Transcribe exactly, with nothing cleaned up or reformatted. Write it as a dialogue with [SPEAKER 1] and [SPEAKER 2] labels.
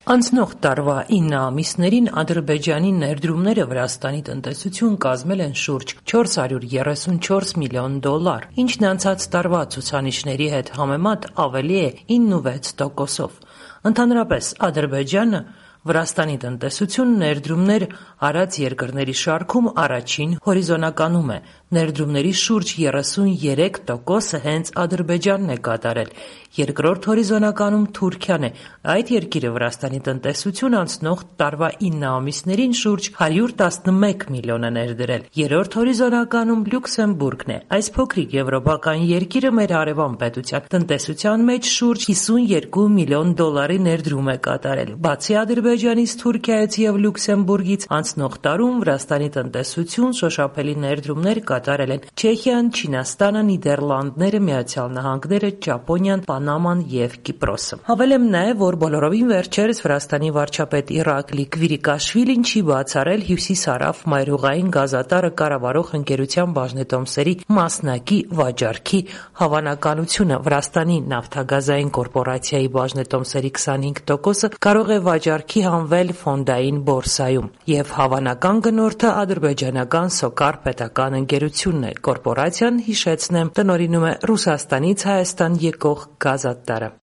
[SPEAKER 1] Անցնող տարվա ինը ամիսներին Ադրբեջանի ներդրումները Վրաստանի տնտեսություն կազմել են շուրջ չորս հարյուր երեսունչորս միլիոն դոլար, ինչն անցած տարվա ցուցանիշների հետ համեմատ ավելի է ինը վեց տոկոսով։ Ընդհանրապես Ադրբեջանը Վրաստանի տնտեսություն ներդրումներ արած երկրների շարքում առաջին հորիզոնականում է, ներդրումների շուրջ երեսուներեք տոկոսը հենց Ադրբեջանն է կատարել, երկրորդ հորիզոնականում Թուրքիան է, այդ երկիրը Վրաստանի տնտեսություն անցնող տարվա ինը ամիսներին շուրջ հարյուր տասնմեկ միլիոն է ներդրել, երրորդ հորիզոնականում Լյուքսեմբուրգն է, այս փոքրիկ եվրոպական երկիրը մեր հարևան պետության տնտեսության մեջ շուրջ հիսունյոթ միլիոն դոլարի ներդրում է կատարել, բացի Ադրբեջանից, Թուրքիայից և Լյուքսեմբուրգից անցնող տարում Վրաստանի տնտեսություն շոշափելի ներդրումներ կատարել են Չեխիան, Չինաստանը, Նիդերլանդները, Միացյալ Նահանգները, Ճապոնիան, Պանաման և Կիպրոսը։ Հավելեմ նաև, որ բոլորովին վերջերս Վրաստանի վարչապետ Իռակլի Քվիրիկաշվիլին չի բացառել Հյուսիսարավ մայրուղային գազատարը կառավարող ընկերության բաժնետոմսերի մասնակի վաճառքի հավանականությունը։ Վրաստանի նավթագազային կորպորացիայի բաժնետոմսերի քսանհինգ տոկոսը կարող է վաճառքի հանվել ֆոնդային բորսայում, և հավանական գնորդը ադրբեջանական Սոկար պետական ընկերությունն է։ Կորպորացիան, հիշեցնեմ, տնօրինում է Ռուսաստանից Հայաստան եկող գազատարը։